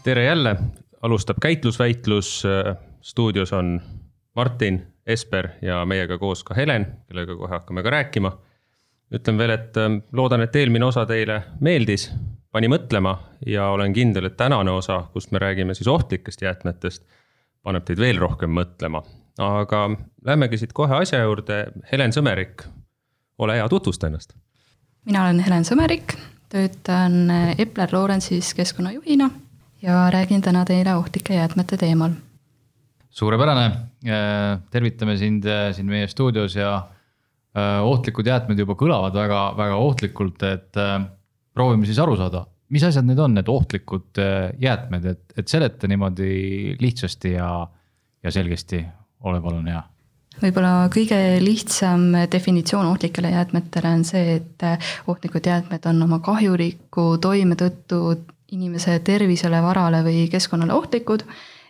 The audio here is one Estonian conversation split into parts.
Tere jälle, alustab käitlusväitlus, stuudios on Martin, Esper ja meiega koos ka Helen, kellega kohe hakkame ka rääkima. Ütlen veel, et loodan, et eelmine osa teile meeldis, pani mõtlema ja olen kindel, et tänane osa, kust me räägime siis ohtlikest jäätmetest, paneb teid veel rohkem mõtlema. Aga lähmegi siit kohe asja juurde. Helen Sõmerik, ole hea, tutvusta ennast. Mina olen Helen Sõmerik, töötan Epler Lawrence'is keskkonnajuhina ja räägin täna teile ohtlike jäätmete teemal. Suurepärane, tervitame sind siin meie stuudios ja ohtlikud jäätmed juba kõlavad väga ohtlikult, et proovime siis aru saada, mis asjad need on, need ohtlikud jäätmed, et seleta niimoodi lihtsasti ja selgesti, ole palun hea. Võib-olla kõige lihtsam definitsioon ohtlikele jäätmetele on see, et ohtlikud jäätmed on oma kahjuliku toime tõttu inimese tervisele, varale või keskkonnale ohtlikud,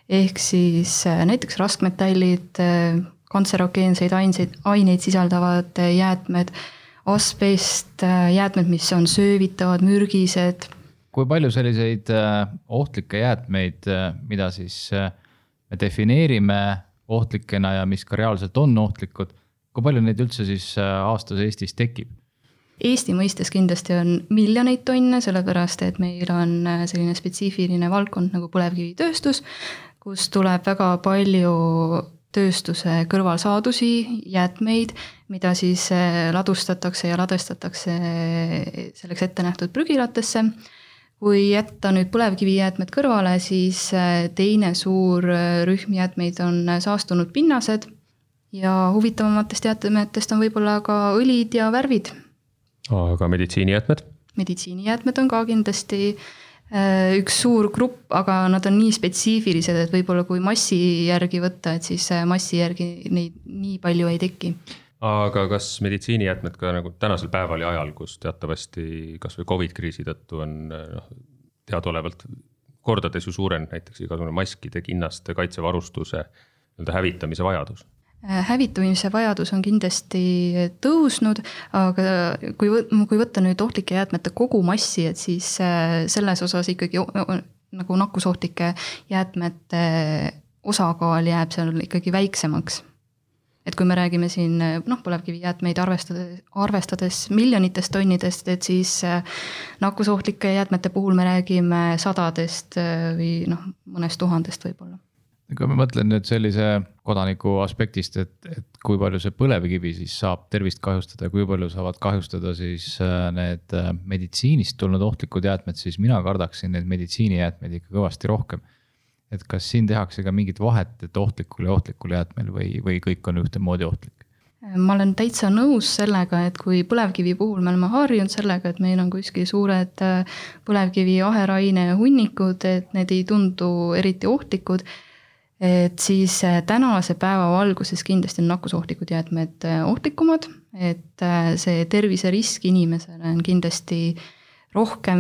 ehk siis näiteks raskmetallid, kantserogeenseid aineid sisaldavad jäätmed, asbest, jäätmed, mis on söövitavad, mürgised. Kui palju selliseid ohtlikke jäätmeid, mida siis me defineerime ohtlikena ja mis ka reaalselt on ohtlikud, kui palju neid üldse siis aastas Eestis tekib? Eesti mõistes kindlasti on miljoneid tonne, sellepärast et meil on selline spetsiifiline valdkond nagu põlevkivitööstus, kus tuleb väga palju tööstuse kõrvalsaadusi, jäätmeid, mida siis ladustatakse ja ladestatakse selleks ette nähtud prügilatesse. Kui jätta nüüd põlevkivijäätmed kõrvale, siis teine suur rühm jäätmeid on saastunud pinnased ja huvitavamatest jäätmetest on võib-olla ka õlid ja värvid. Aga meditsiinijäätmed? Meditsiinijäätmed on ka kindlasti üks suur grupp, aga nad on nii spetsiifilised, et võib-olla kui massi järgi võtta, et siis massi järgi neid nii palju ei teki. Aga kas meditsiinijäätmed ka nagu tänasel päeval ja ajal, kus teatavasti kas või COVID-kriisi tõttu on teadaolevalt kordades ju suuren näiteks igasugune maskide, kinnaste, kaitsevarustuse hävitamise vajadus? Hävitamise vajadus on kindlasti tõusnud, aga kui võtta nüüd ohtlike jäätmete kogu massi, et siis selles osas ikkagi nagu nakkusohtlike jäätmete osakaal jääb seal ikkagi väiksemaks. Et kui me räägime siin põlevkivijäätmeid arvestades miljonitest tonnidest, et siis nakkusohtlike jäätmete puhul me räägime sadadest või mõnest tuhandest võib-olla. Kui me mõtlen nüüd sellise kodaniku aspektist, et kui palju see põlevkivi siis saab tervist kahjustada ja kui palju saavad kahjustada siis need meditsiinist tulnud ohtlikud jäätmed, siis mina kardaksin need meditsiinijäätmed ikka kõvasti rohkem. Et kas siin tehakse ka mingit vahet, et ohtlikul ja ohtlikul jäätmel või kõik on ühtemoodi ohtlik? Ma olen täitsa nõus sellega, et kui põlevkivi puhul me oleme harjunud sellega, et meil on kuskil suured põlevkivi aheraine hunnikud, et need ei tundu eriti ohtlikud, et siis tänase päeva valguses kindlasti on nakkusohtlikud jäätmed ohtlikumad, et see terviserisk inimesele on kindlasti rohkem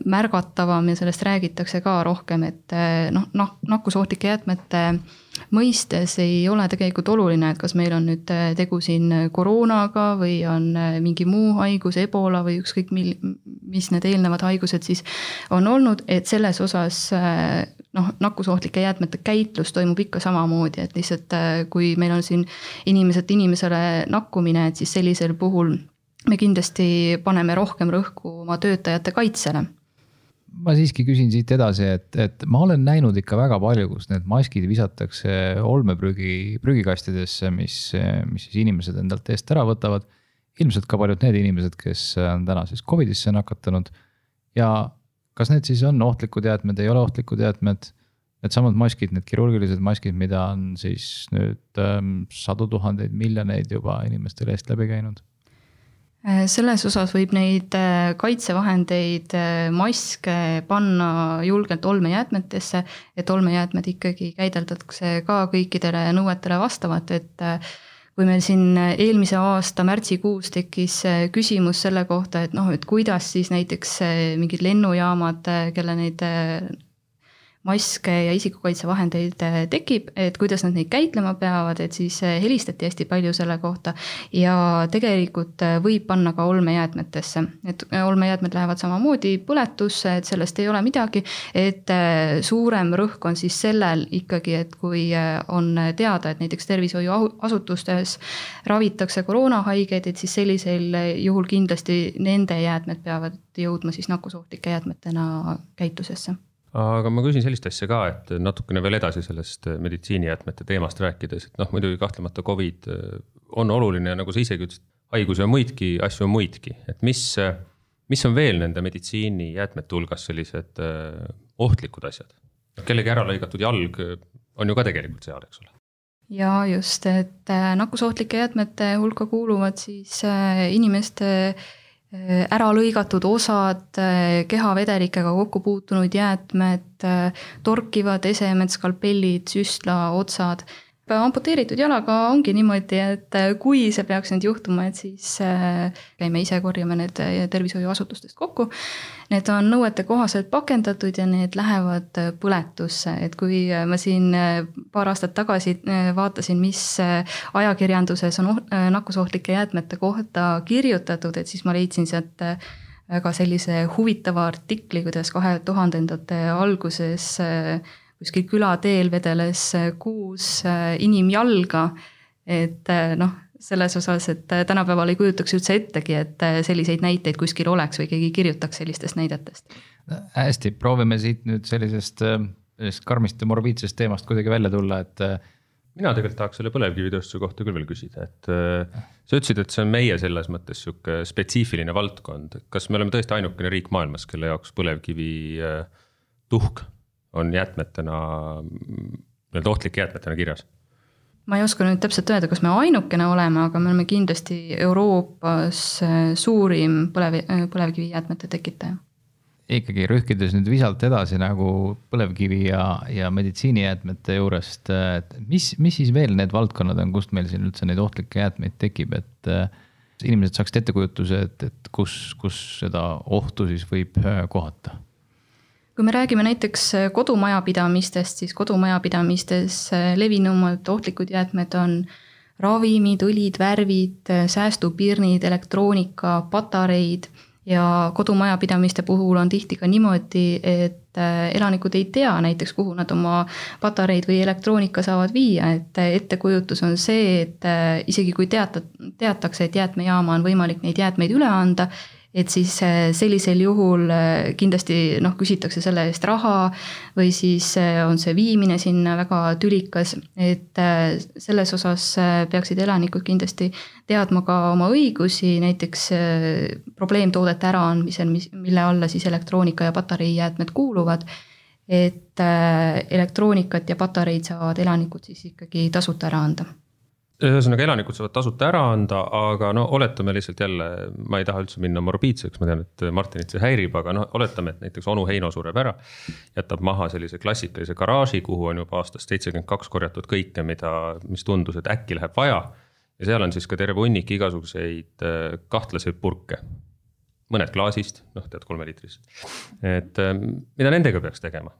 märgatavam ja sellest räägitakse ka rohkem, et nakkusohtlike jäätmete mõistes ei ole tegelikult oluline, et kas meil on nüüd tegu siin koroonaga või on mingi muu haigus, ebola või ükskõik mis need eelnevad haigused siis on olnud, et selles osas nakkusohtlike jäätmete käitlus toimub ikka samamoodi, et lihtsalt kui meil on siin inimesele nakkumine, et siis sellisel puhul me kindlasti paneme rohkem rõhku oma töötajate kaitsele. Ma siiski küsin siit edasi, et ma olen näinud ikka väga palju, kus need maskid visatakse olmeprügikastidesse, mis siis inimesed endalt eest ära võtavad. Ilmselt ka paljud need inimesed, kes on täna siis COVIDisse nakatanud. Ja kas need siis on ohtlikud jäätmed, ei ole ohtlikud jäätmed? Need samad maskid, need kirurgilised maskid, mida on siis nüüd 100 000 miljoneid juba inimestele eest läbi käinud? Selles osas võib neid kaitsevahendeid, maske panna julgelt olmejäätmetesse, et olmejäätmed ikkagi käideldakse ka kõikidele nõuetele vastavat, et kui meil siin eelmise aasta märtsikuus tekkis küsimus selle kohta, et kuidas siis näiteks mingid lennujaamad, kelle neid maske ja isikukaitsevahendeid tekib, et kuidas nad neid käitlema peavad, et siis helistati hästi palju selle kohta ja tegelikult võib panna ka olmejäätmetesse, et olmejäätmed lähevad samamoodi põletusse, et sellest ei ole midagi, et suurem rõhk on siis sellel ikkagi, et kui on teada, et näiteks tervishoiuasutustes ravitakse koroonahaigeid, et siis sellisel juhul kindlasti nende jäätmed peavad jõudma siis nakkusohtlike jäätmetena käitlusesse. Aga ma küsin sellist asja ka, et natukene veel edasi sellest meditsiinijäätmete teemast rääkides, et muidugi kahtlemata COVID on oluline, nagu sa isegi ütlesid, haigusi on muidki, asju on muidki, et mis on veel nende meditsiinijäätmete hulgas sellised ohtlikud asjad? Kellegi ära lõigatud jalg on ju ka tegelikult seal, eks ole? Ja just, et nakkusohtlike jäätmete hulka kuuluvad siis inimeste ära lõigatud osad, kehavedelikega kokku puutunud jäätmed, torkivad esemed, skalpellid, süstla, otsad. Amputeeritud jalaga ongi niimoodi, et kui see peaks nüüd juhtuma, et siis käime ise korjame need tervishoiuasutustest kokku. Need on nõuete kohaselt pakendatud ja need lähevad põletusse, et kui ma siin paar aastat tagasi vaatasin, mis ajakirjanduses on nakkusohtlike jäätmete kohta kirjutatud, et siis ma leidsin sealt väga sellise huvitava artikli, kuidas 2000-ndate alguses kuskil külateel vedeles 6 inimjalga, et selles osas, et tänapäeval ei kujutaks üldse ettegi, et selliseid näiteid kuskil oleks või keegi kirjutaks sellistest näidetest. Hästi, proovime siit nüüd sellisest karmist ja morbiidsest teemast kuidagi välja tulla, et mina tegelikult tahaks selle põlevkivitööstuse kohta küll veel küsida, et sa ütlesid, et see on meie selles mõttes siuke spetsiifiline valdkond. Kas me oleme tõesti ainukene riik maailmas, kelle jaoks põlevkivi tuhk on jäätmetena, ohtlike jäätmetena kirjas? Ma ei oska nüüd täpselt öelda, kas me ainukene oleme, aga me oleme kindlasti Euroopas suurim põlevkivi jäätmete tekitaja. Ikkagi rühkides nüüd visalt edasi nagu põlevkivi ja meditsiinijäätmete juurest, mis siis veel need valdkonnad on, kust meil siin üldse neid ohtlikke jäätmeid tekib, et inimesed saaksid ettekujutuse, et kus seda ohtu siis võib kohata? Kui me räägime näiteks kodumajapidamistest, siis kodumajapidamistes levinumad ohtlikud jäätmed on ravimid, õlid, värvid, säästupirnid, elektroonika, patareid ja kodumajapidamiste puhul on tihti ka niimoodi, et elanikud ei tea näiteks, kuhu nad oma patareid või elektroonika saavad viia, et ettekujutus on see, et isegi kui teatakse, et jäätmejaama on võimalik neid jäätmeid üle anda, et siis sellisel juhul kindlasti küsitakse selle eest raha või siis on see viimine sinna väga tülikas, et selles osas peaksid elanikud kindlasti teadma ka oma õigusi, näiteks probleemtoodete äraandmisel, mille alla siis elektroonika ja patareijäätmed kuuluvad, et elektroonikat ja patareid saavad elanikud siis ikkagi tasuta ära anda. Ühesõnaga elanikud saavad tasuta ära anda, aga oletame lihtsalt jälle, ma ei taha üldse minna morbiidseks, ma tean, et Martinit see häirib, aga oletame, et näiteks onu Heino sureb ära, jätab maha sellise klassikalise garaaži, kuhu on juba aastast 72 korjatud kõike, mis tundus, et äkki läheb vaja. Ja seal on siis ka terve hunnik igasuguseid kahtlaseid purke. Mõned klaasist, tead 3 liitris. Et mida nendega peaks tegema?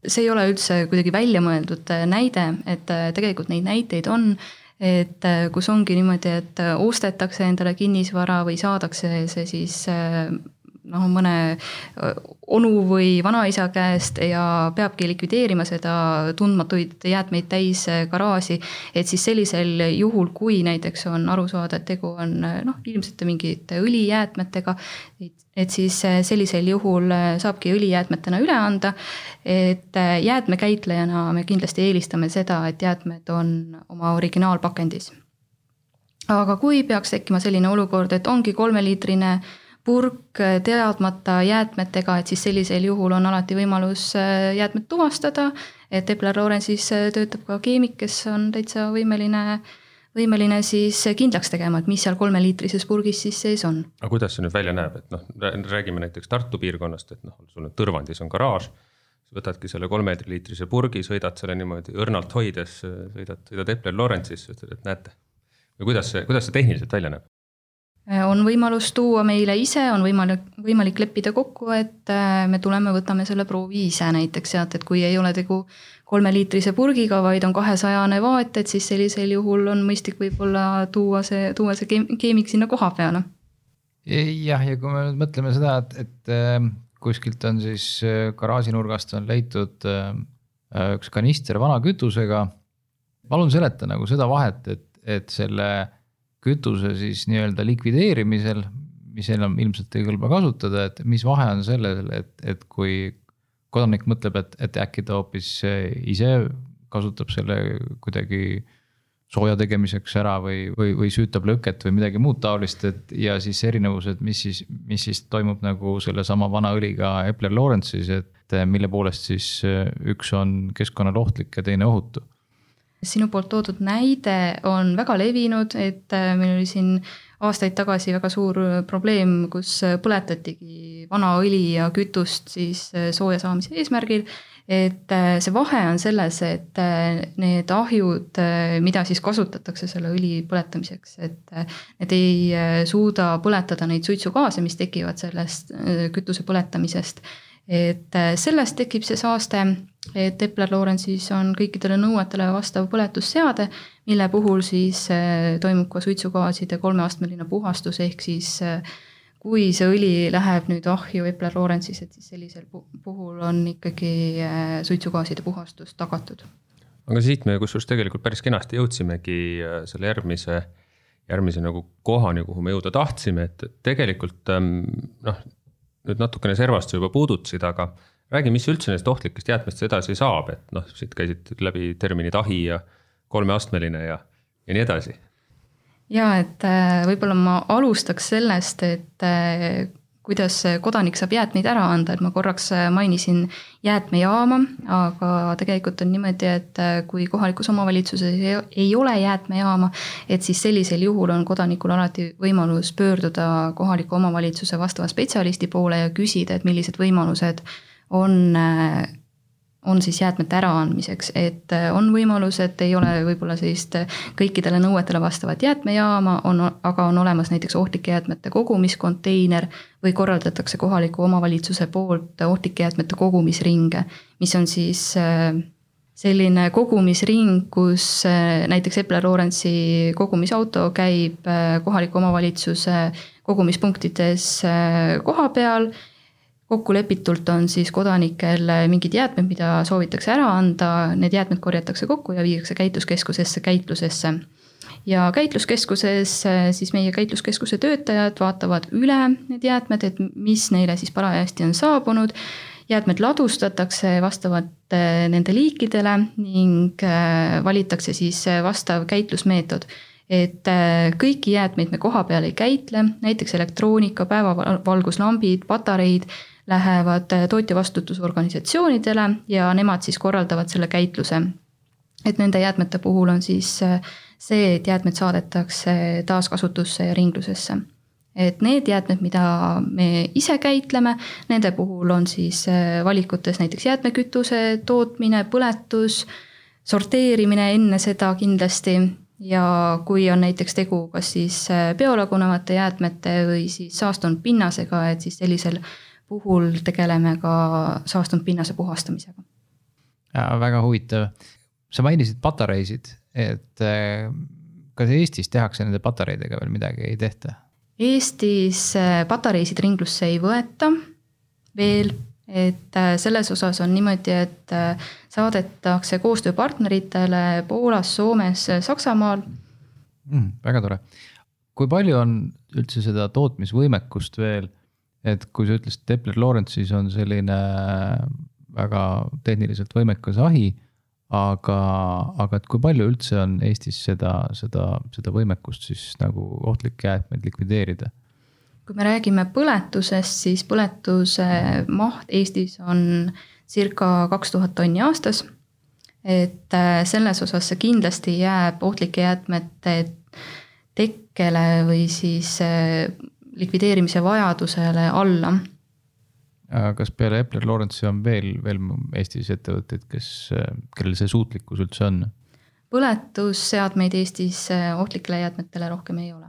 See ei ole üldse kuidagi välja mõeldud näide, et tegelikult neid näiteid on, et kus ongi niimoodi, et ostetakse endale kinnisvara või saadakse see siis mõne onu või vanaisa käest ja peabki likvideerima seda tundmatuid jäätmeid täis garaaži, et siis sellisel juhul, kui näiteks on aru saada, et tegu on ilmselt mingite õlijäätmetega, et siis sellisel juhul saabki õlijäätmetena üle anda, et jäätmekäitlejana me kindlasti eelistame seda, et jäätmed on oma originaalpakendis. Aga kui peaks tekkima selline olukord, et ongi 3-liitrine purk teadmata jäätmetega, et siis sellisel juhul on alati võimalus jäätmed tuvastada, et Epler Lawrence'is töötab ka keemik, kes on täitsa võimeline siis kindlaks tegema, et mis seal 3-liitrises purgis siis sees on. Aga kuidas see nüüd välja näeb, et räägime näiteks Tartu piirkonnast, et sul Tõrvandis on garaaž, võtadki selle 3-liitrise purgi, sõidad selle niimoodi õrnalt hoides, sõidad Epler Lawrence'is, et näete. Või kuidas see tehniliselt välja näeb? on võimalus tuua meile ise, on võimalik leppida kokku, et me tuleme, võtame selle proovi ise näiteks sealt, et kui ei ole tegu 3-liitrise purgiga, vaid on 200 vaat, et siis sellisel juhul on mõistlik võib-olla tuua see keemik sinna koha peale. Jah, ja kui me nüüd mõtleme seda, et kuskilt on siis garaažinurgast on leitud üks kanister vana kütusega, palun seleta nagu seda vahet, et selle kütuse siis nii-öelda likvideerimisel, mis enam ilmselt ei kõlba kasutada, et mis vahe on sellel, et kui kodanik mõtleb, et äkki ta hoopis ise kasutab selle kuidagi sooja tegemiseks ära või süütab lõket või midagi muud taolist, ja siis erinevused, mis siis toimub nagu selle sama vana õliga Epler Lawrence'is, et mille poolest siis üks on keskkonnale ohtlik ja teine ohutu. Sinu poolt toodud näide on väga levinud, et meil oli siin aastaid tagasi väga suur probleem, kus põletatigi vana õli ja kütust siis sooja saamise eesmärgil. Et see vahe on selles, et need ahjud, mida siis kasutatakse selle õli põletamiseks, et need ei suuda põletada neid suitsugaase, mis tekivad sellest kütuse põletamisest. Et sellest tekib see saaste, et Epler Lawrence'is on kõikidele nõuetele vastav põletusseade, mille puhul siis toimub ka suitsugaaside 3-astmeline puhastus, ehk siis kui see õli läheb nüüd ahju Epler Lawrence'is, et siis sellisel puhul on ikkagi suitsugaaside puhastus tagatud. Aga siit me kusjuures tegelikult päris kenasti jõudsimegi selle järgmise nagu kohani, kuhu me jõuda tahtsime, et tegelikult nüüd natukene servast juba puudutasid, aga räägi, mis üldse neist ohtlikest jäätmest edasi saab, et siit käisid läbi terminid ahi ja 3-astmeline ja nii edasi. Ja, et võib-olla ma alustaks sellest, et kuidas kodanik saab jäätmeid ära anda, et ma korraks mainisin jäätmejaama, aga tegelikult on niimoodi, et kui kohalikus omavalitsuses ei ole jäätmejaama, et siis sellisel juhul on kodanikul alati võimalus pöörduda kohaliku omavalitsuse vastava spetsialisti poole ja küsida, et millised võimalused on siis jäätmete äraandmiseks, et on võimalus, et ei ole võib-olla sellist kõikidele nõuetele vastavat jäätmejaama, aga on olemas näiteks ohtlike jäätmete kogumiskonteiner või korraldatakse kohaliku omavalitsuse poolt ohtlike jäätmete kogumisringe, mis on siis selline kogumisring, kus näiteks Epler Lawrence'i kogumisauto käib kohaliku omavalitsuse kogumispunktides koha peal. Kokkulepitult on siis kodanikel mingid jäätmed, mida soovitakse ära anda, need jäätmed korjatakse kokku ja viiakse käitluskeskusesse käitlusesse. Ja käitluskeskuses siis meie käitluskeskuse töötajad vaatavad üle need jäätmed, et mis neile siis parajasti on saabunud. Jäätmed ladustatakse vastavalt nende liikidele ning valitakse siis vastav käitlusmeetod. Et kõiki jäätmeid me koha peal ei käitle, näiteks elektroonika, päevavalguslambid, patareid lähevad tootjavastutusorganisatsioonidele ja nemad siis korraldavad selle käitluse. Et nende jäätmete puhul on siis see, et jäätmed saadetakse taaskasutusse ja ringlusesse. Et need jäätmed, mida me ise käitleme, nende puhul on siis valikutes näiteks jäätmekütuse tootmine, põletus, sorteerimine enne seda kindlasti. Ja kui on näiteks tegu kas siis biolagunevate jäätmete või siis saastunud pinnasega, et siis sellisel puhul tegeleme ka saastunud pinnase puhastamisega. Väga huvitav. Sa mainisid patareisid, et kas Eestis tehakse nende patareidega veel midagi, ei tehta? Eestis patareisid ringlusse ei võeta veel, et selles osas on niimoodi, et saadetakse koostööpartneritele Poolas, Soomes, Saksamaal. Väga tore. Kui palju on üldse seda tootmisvõimekust veel, et kui sa ütlesid, et Epler Lawrence'is on selline väga tehniliselt võimekas ahi, aga et kui palju üldse on Eestis seda võimekust siis nagu ohtlik jäätmeid likvideerida? Kui me räägime põletusest, siis põletuse maht Eestis on circa 2000 tonni aastas. Et selles osas see kindlasti jääb ohtlike jäätmete tekkele või siis likvideerimise vajadusele alla. Kas peale Epler Lawrence'i on veel Eestis ettevõtteid, kellel see suutlikkus üldse on? Põletusseadmeid Eestis ohtlikele jäätmetele rohkem ei ole.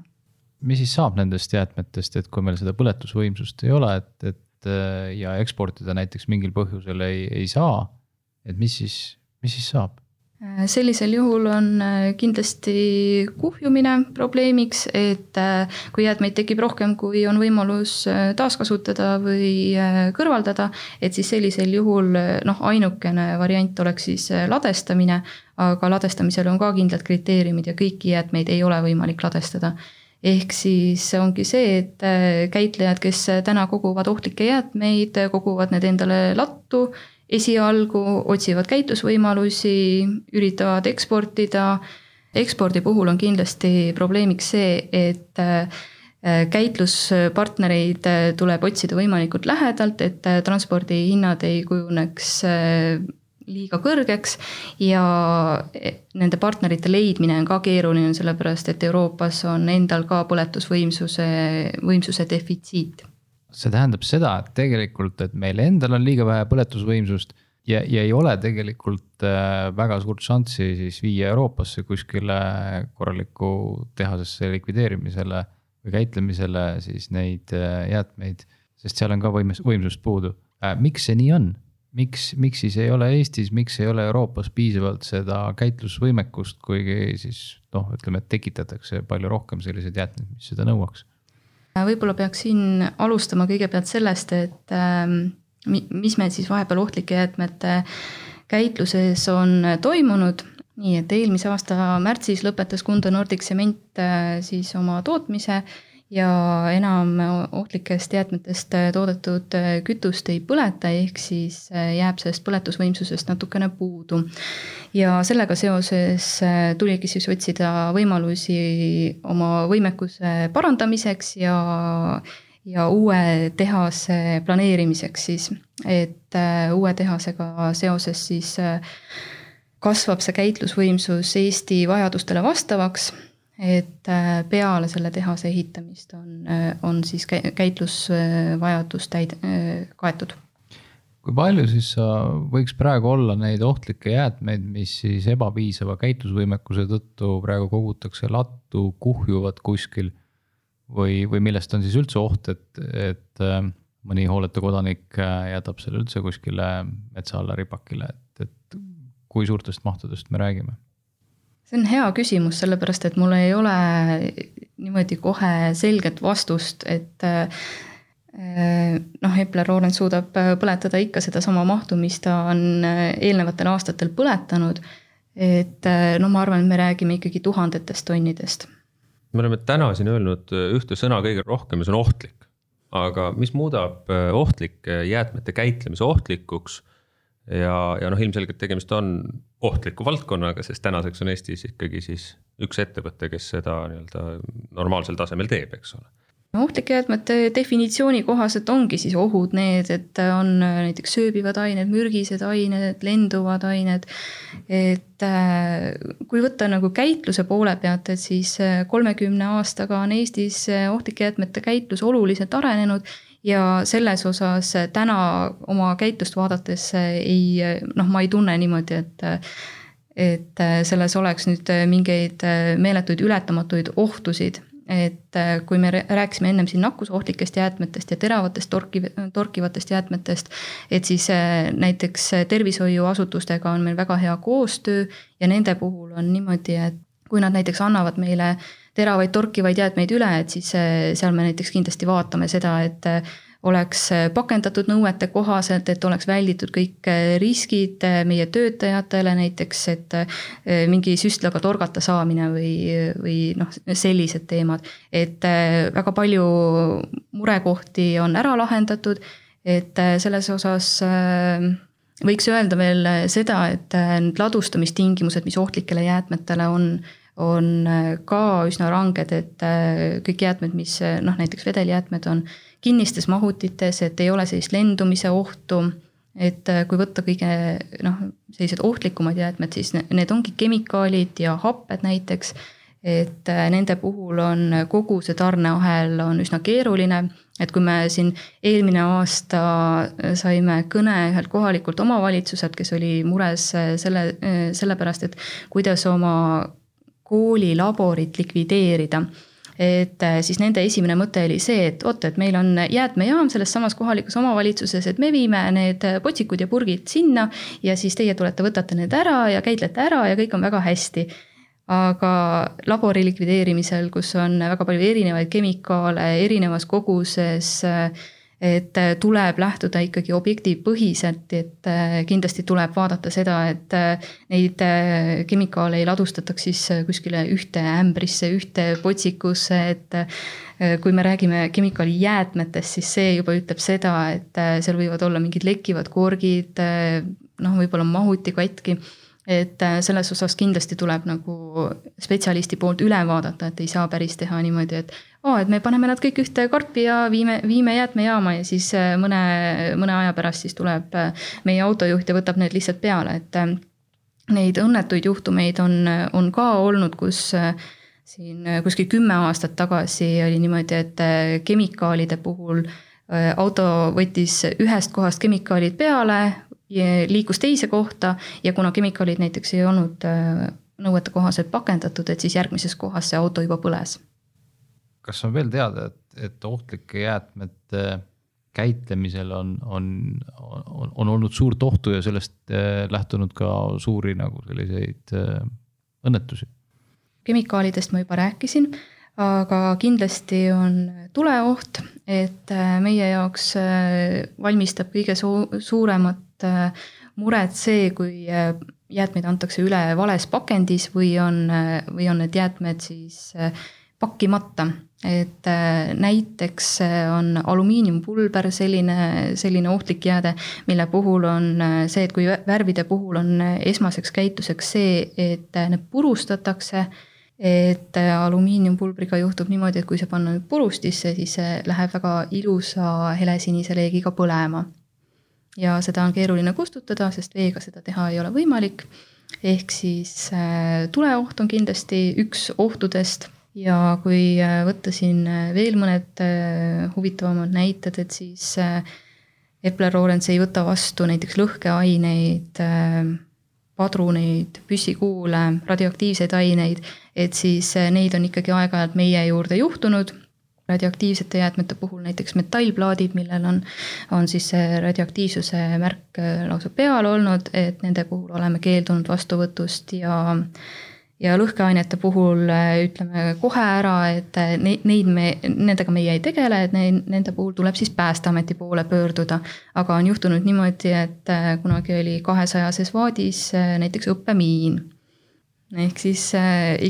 mis siis saab nendest jäätmetest, et kui meil seda põletusvõimsust ei ole, et ja eksportida näiteks mingil põhjusel ei saa, et mis siis saab? Sellisel juhul on kindlasti kuhjumine probleemiks, et kui jäätmeid tekib rohkem, kui on võimalus taaskasutada või kõrvaldada, et siis sellisel juhul ainukene variant oleks siis ladestamine, aga ladestamisel on ka kindlad kriteeriumid ja kõiki jäätmeid ei ole võimalik ladestada. Ehk siis ongi see, et käitlejad, kes täna koguvad ohtlikke jäätmeid, koguvad need endale lattu, esialgu otsivad käitlusvõimalusi, üritavad eksportida. Ekspordi puhul on kindlasti probleemiks see, et käitluspartnereid tuleb otsida võimalikult lähedalt, et transpordihinnad ei kujuneks liiga kõrgeks ja nende partnerite leidmine on ka keeruline, sellepärast et Euroopas on endal ka põletusvõimsuse defitsiit. See tähendab seda, et tegelikult, et meil endal on liiga vähe põletusvõimsust ja ei ole tegelikult väga suurt šanssi siis viia Euroopasse kuskile korraliku tehasesse likvideerimisele või käitlemisele siis neid jäätmeid, sest seal on ka võimsust puudu. Miks see nii on? Miks siis ei ole Eestis, miks ei ole Euroopas piisavalt seda käitlusvõimekust, kuigi siis ütleme, et tekitatakse palju rohkem selliseid jäätmeid, mis seda nõuaks? Võib-olla peaks siin alustama kõigepealt sellest, et mis meil siis vahepeal ohtlike jäätmete käitluses on toimunud. Nii, et eelmise aasta märtsis lõpetas Kunda Nordic Cement siis oma tootmise ja enam ohtlikest jäätmetest toodetud kütust ei põleta, ehk siis jääb sellest põletusvõimsusest natukene puudu. Ja sellega seoses tuligi siis otsida võimalusi oma võimekuse parandamiseks ja uue tehase planeerimiseks siis, et uue tehasega seoses siis kasvab see käitlusvõimsus Eesti vajadustele vastavaks, et peale selle tehase ehitamist on siis käitlusvajadus kaetud. Kui palju siis võiks praegu olla neid ohtlikke jäätmeid, mis siis ebapiisava käitlusvõimekuse tõttu praegu kogutakse lattu, kuhjuvad kuskil või millest on siis üldse oht, et mõni hooletu kodanik jätab selle üldse kuskile metsa alla ripakile, et kui suurtest mahtudest me räägime? See on hea küsimus, sellepärast, et mul ei ole niimoodi kohe selget vastust, et Epler-Lorentz suudab põletada ikka seda sama mahtu, mis ta on eelnevatel aastatel põletanud, et ma arvan, et me räägime ikkagi tuhandetest tonnidest. Me oleme täna siin öelnud ühte sõna kõige rohkem ja see on ohtlik, aga mis muudab ohtlike jäätmete käitlemise ohtlikuks? Ja ilmselgelt tegemist on ohtliku valdkonnaga, sest tänaseks on Eestis ikkagi siis üks ettevõte, kes seda normaalsel tasemel teeb, eks ole. Ohtlike jäätmete definitsiooni kohaselt ongi siis ohud need, et on näiteks sööbivad ained, mürgised ained, lenduvad ained, et kui võtta käitluse poole pealt, et siis 30 aastaga on Eestis ohtlike jäätmete käitlus oluliselt arenenud ja selles osas täna oma käitlust vaadates ma ei tunne niimoodi, et selles oleks nüüd mingeid meeletuid ületamatuid ohtusid. Et kui me rääkisime ennem siin nakkusohtlikest jäätmetest ja teravatest torkivatest jäätmetest, et siis näiteks tervishoiuasutustega on meil väga hea koostöö ja nende puhul on niimoodi, et kui nad näiteks annavad meile teravaid torkivaid jäätmeid üle, et siis seal me näiteks kindlasti vaatame seda, et oleks pakendatud nõuete kohaselt, et oleks välditud kõik riskid meie töötajatele, näiteks, et mingi süstlaga torgata saamine või sellised teemad. Et väga palju murekohti on ära lahendatud, et selles osas võiks öelda veel seda, et need ladustamistingimused, mis ohtlikele jäätmetele on ka üsna ranged, et kõik jäätmed, mis näiteks vedeljäätmed on kinnistes mahutites, et ei ole sellist lendumise ohtu, et kui võtta kõige sellised ohtlikumad jäätmed, siis need ongi kemikaalid ja happed näiteks, et nende puhul on kogu see tarneahel on üsna keeruline, et kui me siin eelmine aasta saime kõne ühelt kohalikult omavalitsuselt, kes oli mures sellepärast, et kuidas oma koolilaborit likvideerida. et siis nende esimene mõte oli see, et et meil on jäätmejaam selles samas kohalikus omavalitsuses, et me viime need potsikud ja purgid sinna ja siis teie tulete, võtate need ära ja käitlete ära ja kõik on väga hästi. Aga labori likvideerimisel, kus on väga palju erinevaid kemikaale erinevas koguses, et tuleb lähtuda ikkagi objektipõhiselt, et kindlasti tuleb vaadata seda, et neid kemikaale ei ladustataks siis kuskile ühte ämbrisse, ühte potsikusse, et kui me räägime kemikaali jäätmetest, siis see juba ütleb seda, et seal võivad olla mingid lekkivad korgid, võib-olla mahuti katki. Et selles osas kindlasti tuleb nagu spetsialisti poolt üle vaadata, et ei saa päris teha niimoodi, et me paneme nad kõik ühte karpi ja viime jäätmejaama ja siis mõne aja pärast siis tuleb meie autojuht ja võtab need lihtsalt peale, et neid õnnetuid juhtumeid on ka olnud, kus siin kuskil 10 aastat tagasi oli niimoodi, et kemikaalide puhul auto võttis ühest kohast kemikaalid peale, liikus teise kohta ja kuna kemikaalid näiteks ei olnud nõuete kohaselt pakendatud, et siis järgmises kohas see auto juba põles. Kas on veel teada, et ohtlike jäätmete käitlemisel on olnud suurt ohtu ja sellest lähtunud ka suuri nagu selliseid õnnetusi? Kemikaalidest ma juba rääkisin, aga kindlasti on tuleoht, et meie jaoks valmistab kõige suuremat muret see, kui jäätmeid antakse üle vales pakendis või on need jäätmed siis pakkimata. Et näiteks on alumiiniumpulber selline ohtlik jääde, mille puhul on see, et kui värvide puhul on esmaseks käituseks see, et need purustatakse, et alumiiniumpulbriga juhtub niimoodi, et kui see panna nüüd purustisse, siis see läheb väga ilusa helesinise leegiga põlema. Ja seda on keeruline kustutada, sest veega seda teha ei ole võimalik. Ehk siis tuleoht on kindlasti üks ohtudest ja kui võtta siin veel mõned huvitavamad näited, et siis Epler-Lorentz ei võta vastu näiteks lõhkeaineid, padruneid, püssikuule, radioaktiivseid aineid, et siis neid on ikkagi aeg-ajalt meie juurde juhtunud. Radioaktiivsete jäätmete puhul näiteks metallplaadid, millel on siis see radioaktiivsuse märk lausa peal olnud, et nende puhul oleme keeldunud vastuvõtust ja lõhkeainete puhul ütleme kohe ära, et nendega meie ei tegele, et nende puhul tuleb siis Päästeameti poole pöörduda. Aga on juhtunud niimoodi, et kunagi oli 200-ses vaadis näiteks õppemiin. Ehk siis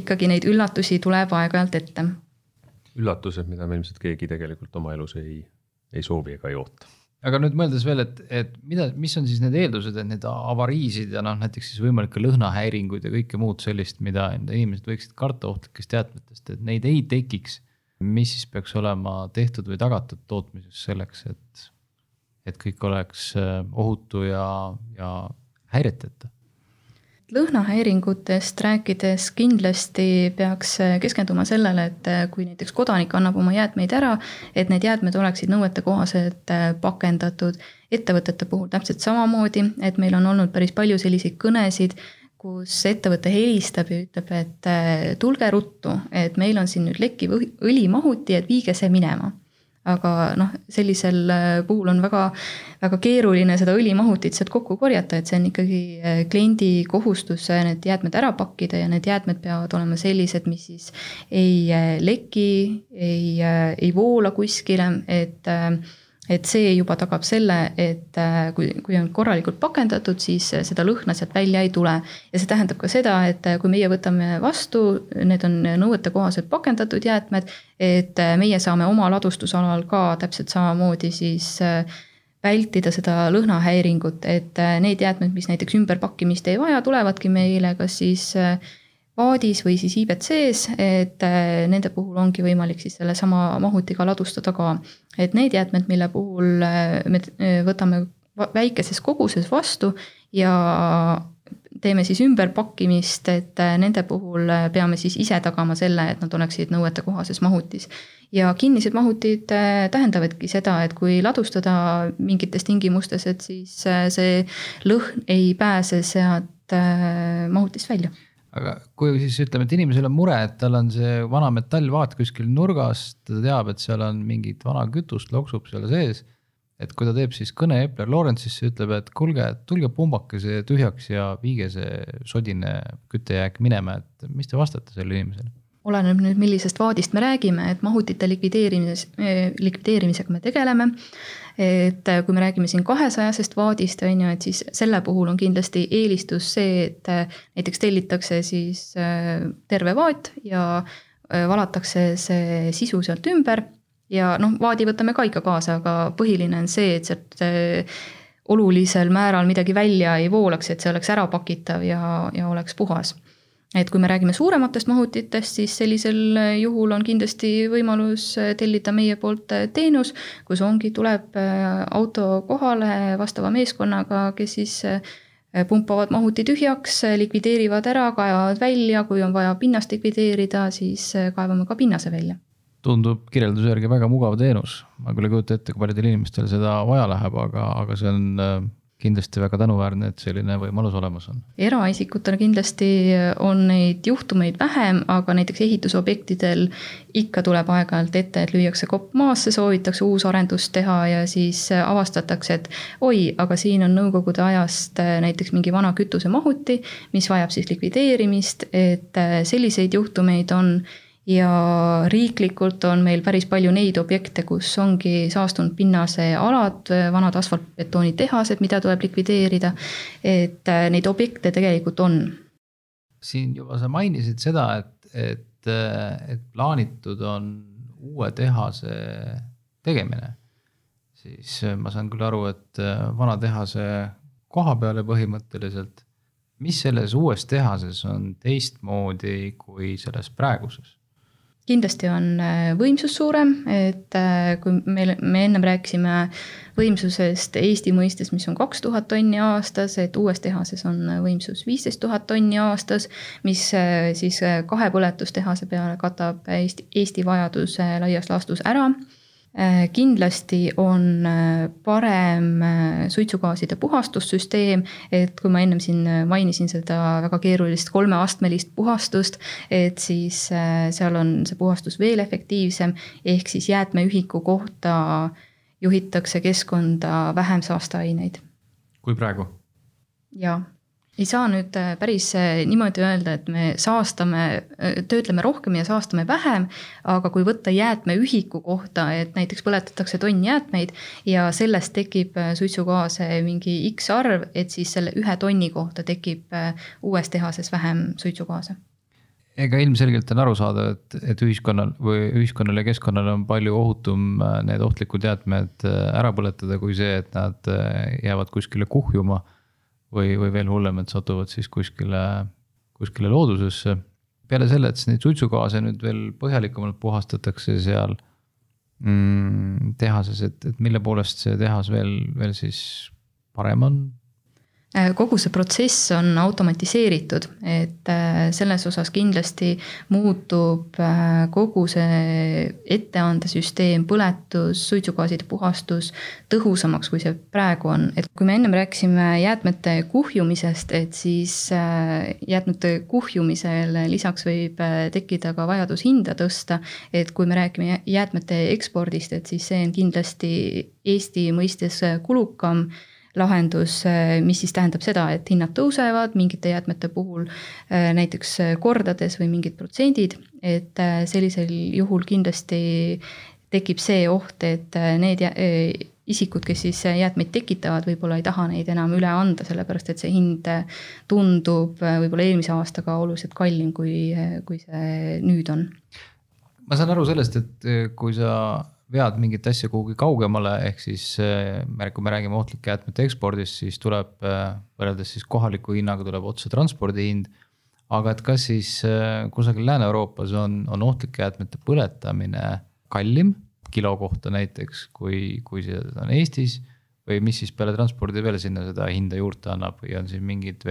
ikkagi neid üllatusi tuleb aeg-ajalt ette. Üllatused, mida me ilmselt keegi tegelikult oma elus ei soovi ega ei oota. Aga nüüd mõeldes veel, et mis on siis need eeldused, et need avariisid ja näiteks siis võimalikke lõhnahäiringuid ja kõike muud sellist, mida inimesed võiksid karta ohtlikest jäätmetest, et neid ei tekiks. Mis siis peaks olema tehtud või tagatud tootmises selleks, et kõik oleks ohutu ja häireteta? Lõhnahäiringutest rääkides kindlasti peaks keskenduma sellele, et kui näiteks kodanik annab oma jäätmeid ära, et need jäätmed oleksid nõuete kohaselt pakendatud. Ettevõtete puhul täpselt samamoodi, et meil on olnud päris palju selliseid kõnesid, kus ettevõte helistab ja ütleb, et tulge ruttu, et meil on siin nüüd lekkiv õlimahuti, et viige see minema. Aga sellisel puhul on väga, väga keeruline seda õlimahutit sealt kokku korjata, et see on ikkagi kliendi kohustus need jäätmed ära pakkida ja need jäätmed peavad olema sellised, mis siis ei leki, ei voola kuskile, et see juba tagab selle, et kui on korralikult pakendatud, siis seda lõhna sealt välja ei tule. Ja see tähendab ka seda, et kui meie võtame vastu, need on nõuete kohaselt pakendatud jäätmed, et meie saame oma ladustusalal ka täpselt samamoodi siis vältida seda lõhnahäiringut, et need jäätmed, mis näiteks ümberpakkimist ei vaja, tulevadki meile kas siis vaadis või siis IBC-s, et nende puhul ongi võimalik siis selle sama mahutiga ladustada ka. Et need jäätmed, mille puhul me võtame väikeses koguses vastu ja teeme siis ümberpakkimist, et nende puhul peame siis ise tagama selle, et nad oleksid nõuete kohases mahutis. Ja kinnised mahutid tähendavadki seda, et kui ladustada mingites tingimustes, et siis see lõhn ei pääse sealt mahutist välja. aga kui siis ütleme, et inimesel on mure, et tal on see vana metallvaat kuskil nurgas, ta teab, et seal on mingit vana kütust loksub seal sees, et kui ta teeb siis kõne Epler Lawrence'isse, ütleb, et kuulge, tulge pumbake see tühjaks ja viige see sodine küttejääk minema, et mis te vastate selle inimesele? Oleneb nüüd, millisest vaadist me räägime, et mahutite likvideerimisega me tegeleme. Et kui me räägime siin 200-sest vaadist, et siis selle puhul on kindlasti eelistus see, et näiteks tellitakse siis terve vaat ja valatakse see sisu sealt ümber ja vaadi võtame ka ikka kaasa, aga põhiline on see, et sealt olulisel määral midagi välja ei voolaks, et see oleks ära pakitav ja oleks puhas. Et kui me räägime suurematest mahutitest, siis sellisel juhul on kindlasti võimalus tellida meie poolt teenus, kus tuleb auto kohale vastava meeskonnaga, kes siis pumpavad mahuti tühjaks, likvideerivad ära, kaevavad välja, kui on vaja pinnast likvideerida, siis kaevame ka pinnase välja. Tundub kirjelduse järgi väga mugav teenus. Ma küll ei kujuta ette, kui paljudel inimestel seda vaja läheb, aga see on kindlasti väga tänuväärne, et selline võimalus olemas on. Eraisikutel kindlasti on neid juhtumeid vähem, aga näiteks ehitusobjektidel ikka tuleb aeg-ajalt ette, et lüüakse kopp maasse, soovitakse uus arendust teha ja siis avastatakse, et aga siin on nõukogude ajast näiteks mingi vana kütusemahuti, mis vajab siis likvideerimist, et selliseid juhtumeid on. Ja riiklikult on meil päris palju neid objekte, kus ongi saastunud pinnase alad, vanad asfaltbetooni tehased, mida tuleb likvideerida, et neid objekte tegelikult on. Siin juba sa mainisid seda, et plaanitud on uue tehase tegemine. Siis ma saan küll aru, et vana tehase koha peale põhimõtteliselt, mis selles uues tehases on teistmoodi kui selles praeguses? Kindlasti on võimsus suurem, et kui me ennem rääkisime võimsusest Eesti mõistes, mis on 2000 tonni aastas, et uues tehases on võimsus 15 000 tonni aastas, mis siis kahepõletustehase peale katab Eesti vajaduse laias laastus ära. Kindlasti on parem suitsugaaside puhastussüsteem, et kui ma ennem siin mainisin seda väga keerulist 3-astmelist puhastust, et siis seal on see puhastus veel efektiivsem, ehk siis jäätmeühiku kohta juhitakse keskkonda vähem saasteaineid. Kui praegu? Jaa. Ei saa nüüd päris niimoodi öelda, et me töötleme rohkem ja saastame vähem, aga kui võtta jäätmeühiku kohta, et näiteks põletatakse tonn jäätmeid ja sellest tekib suitsugaase mingi X arv, et siis selle 1 tonni kohta tekib uues tehases vähem suitsugaase. Ega ilmselgelt on aru saada, et ühiskonnal ja keskkonnal on palju ohutum need ohtlikud jäätmed ära põletada kui see, et nad jäävad kuskile kuhjuma või veel hullem, et satuvad siis kuskile loodusesse. Peale selle, et neid suitsugaase nüüd veel põhjalikumalt puhastatakse seal tehases, et mille poolest see tehas veel siis parem on? Kogu see protsess on automatiseeritud, et selles osas kindlasti muutub kogu see etteandesüsteem, põletus, suitsugaaside puhastus tõhusamaks, kui see praegu on. Et kui me ennem rääkisime jäätmete kuhjumisest, et siis jäätmete kuhjumisel lisaks võib tekkida ka vajadus hinda tõsta, et kui me räägime jäätmete ekspordist, et siis see on kindlasti Eesti mõistes kulukam lahendus, mis siis tähendab seda, et hinnad tõusevad mingite jäätmete puhul näiteks kordades või mingid protsendid, et sellisel juhul kindlasti tekib see oht, et need isikud, kes siis jäätmeid tekitavad, võib-olla ei taha neid enam üle anda, sellepärast et see hind tundub võib-olla eelmise aastaga oluliselt kallim, kui see nüüd on. Ma saan aru sellest, et kui sa vead mingit asja kuhugi kaugemale, ehk siis kui me räägime ohtlike jäätmete ekspordist, siis tuleb võrreldes siis kohaliku hinnaga tuleb otse transpordihind, aga et kas siis kusagil Lääne-Euroopas on ohtlike jäätmete põletamine kallim kilo kohta näiteks, kui see on Eestis, või mis siis peale transpordi veel sinna seda hinda juurde annab või on siin mingid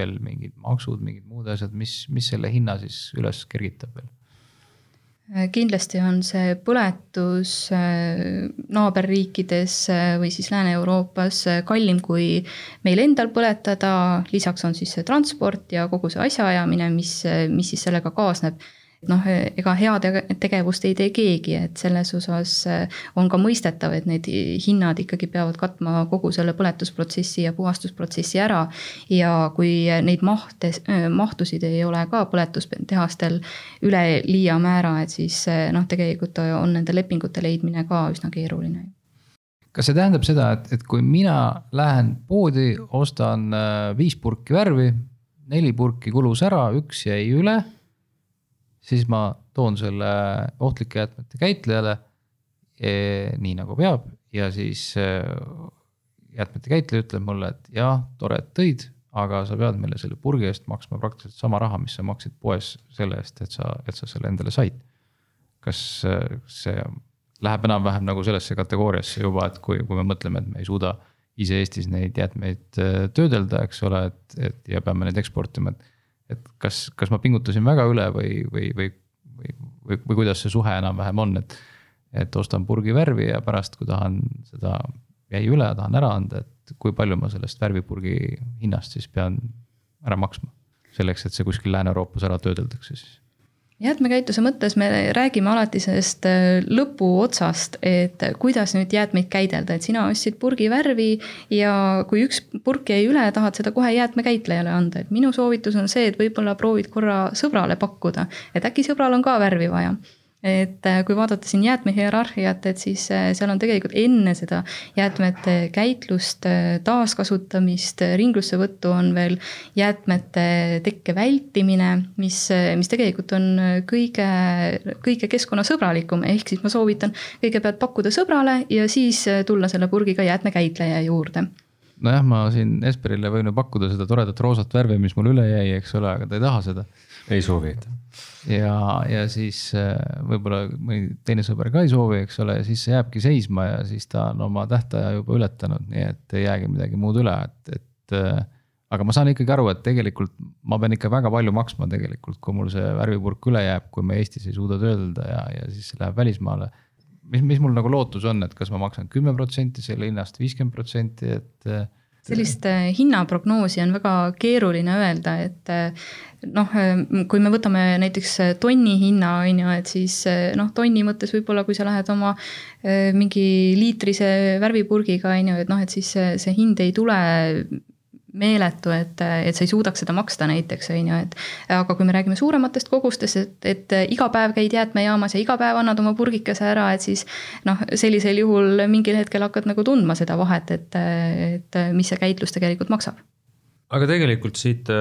maksud, mingid muud asjad, mis selle hinna siis üles kergitab veel? Kindlasti on see põletus naaberriikides või siis Lääne-Euroopas kallim kui meil endal põletada, lisaks on siis see transport ja kogu see asjaajamine, mis siis sellega kaasneb. Ega head tegevust ei tee keegi, et selles osas on ka mõistetav, et need hinnad ikkagi peavad katma kogu selle põletusprotsessi ja puhastusprotsessi ära. Ja kui neid mahtusid ei ole ka põletustehastel üle liia määra, et siis tegelikult on nende lepingute leidmine ka üsna keeruline. Kas see tähendab seda, et kui mina lähen poodi, ostan 5 purki värvi, 4 purki kulus ära, 1 jäi üle, siis ma toon selle ohtlike jäätmete käitlejale nii nagu peab ja siis jäätmete käitleja ütleb mulle, et jah, tore, et tõid, aga sa pead meile selle purgi eest maksma praktiliselt sama raha, mis sa maksid poes selle eest, et sa selle endale said. Kas see läheb enam-vähem nagu sellesse kategooriasse juba, et kui me mõtleme, et me ei suuda ise Eestis neid jäätmeid töödelda, eks ole, ja peame neid eksportima, et kas ma pingutasin väga üle või kuidas see suhe enam-vähem on, et ostan purgi värvi ja pärast, kui tahan seda jäi üle ja tahan ära anda, et kui palju ma sellest värvipurgi hinnast siis pean ära maksma selleks, et see kuskil Lääne-Euroopas ära töödeldakse siis. Jäätmekäitluse mõttes me räägime alati sellest lõpu otsast, et kuidas nüüd jäätmeid käidelda, et sina ostsid purgi värvi ja kui 1 purk jäi üle, tahad seda kohe jäätmekäitlejale anda. Et minu soovitus on see, et võib-olla proovid korra sõbrale pakkuda, et äkki sõbral on ka värvi vaja. Et kui vaadata siin jäätmehierarhiat, et siis seal on tegelikult enne seda jäätmete käitlust, taaskasutamist, ringlusse võttu on veel jäätmete tekke vältimine, mis tegelikult on kõige keskkonnasõbralikum, ehk siis ma soovitan kõigepealt pakkuda sõbrale ja siis tulla selle purgiga jäätmekäitleja juurde. Nojah, ma siin Esperile võin pakkuda seda toredat roosat värvi, mis mul üle jäi, eks ole, aga ta ei taha seda. Ei soovi. Ja siis võib-olla mõni teine sõber ka ei soovi, eks ole, ja siis see jääbki seisma ja siis ta on oma tähtaja juba ületanud, nii et ei jäägi midagi muud üle. Aga ma saan ikkagi aru, et tegelikult ma pean ikka väga palju maksma tegelikult, kui mul see värvipurk üle jääb, kui me Eestis ei suuda töödelda ja siis see läheb välismaale. Mis mul nagu lootus on, et kas ma maksan 10% selle hinnast, 50%, et sellist hinnaprognoosi on väga keeruline öelda, et kui me võtame näiteks tonni hinna, et siis tonni mõttes võib-olla, kui sa lähed oma mingi liitrise värvipurgiga, et siis see hind ei tule meeletu, et sa ei suudaks seda maksta näiteks, aga kui me räägime suurematest kogustest, et iga päev käid jäätmejaamas ja iga päev annad oma purgikese ära, et siis sellisel juhul mingil hetkel hakkad nagu tundma seda vahet, et mis see käitlus tegelikult maksab. Aga tegelikult siit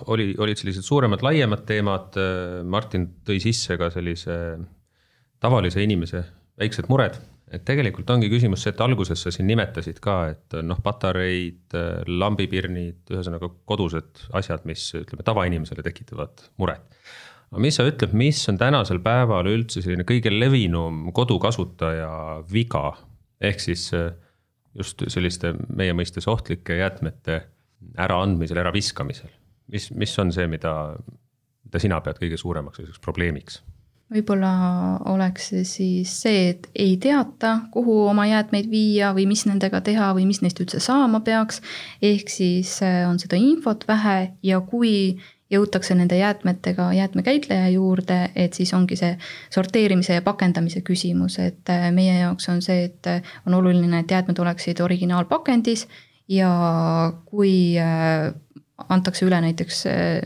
olid sellised suuremad, laiemad teemad, Martin tõi sisse ka sellise tavalise inimese väiksed mured. Et tegelikult ongi küsimus see, et alguses sa siin nimetasid ka, et patareid, lambipirnid, ühesõnaga kodused asjad, mis tavainimesele tekitavad muret. Aga mis sa ütleb, mis on tänasel päeval üldse selline kõige levinum kodukasutaja viga, ehk siis just selliste meie mõistes ohtlike jäätmete äraandmisel, äraviskamisel? Mis on see, mida sina pead kõige suuremaks probleemiks? Võib-olla oleks siis see, et ei teata, kuhu oma jäätmeid viia või mis nendega teha või mis neist üldse saama peaks. Ehk siis on seda infot vähe ja kui jõutakse nende jäätmetega jäätmekäitleja juurde, et siis ongi see sorteerimise ja pakendamise küsimus. Et meie jaoks on see, et on oluline, et jäätmed oleksid originaalpakendis ja kui antakse üle näiteks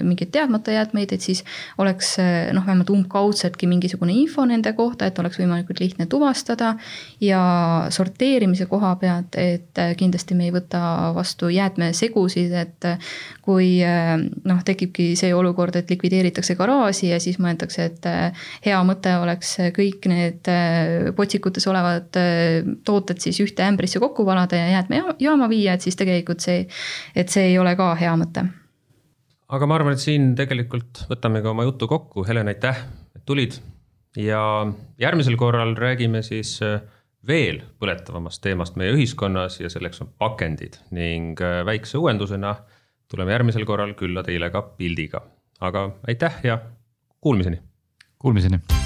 mingid teadmata jäätmeid, et siis oleks vähemalt umbkaudseltki mingisugune info nende kohta, et oleks võimalikult lihtne tuvastada ja sorteerimise koha pealt, et kindlasti me ei võta vastu jäätmesegusid, et kui tekibki see olukord, et likvideeritakse garaaži ja siis mõeldakse, et hea mõte oleks kõik need potsikutes olevad tooted siis ühte ämbrisse kokku valada ja jäätmejaama viia, et siis tegelikult see ei ole ka hea mõte. Aga ma arvan, et siin tegelikult võtame ka oma jutu kokku. Helen, aitäh, et tulid. Ja järgmisel korral räägime siis veel põletavamast teemast meie ühiskonnas ja selleks on pakendid. Ning väikse uuendusena tuleme järgmisel korral külla teile ka pildiga. Aga aitäh ja kuulmiseni! Kuulmiseni!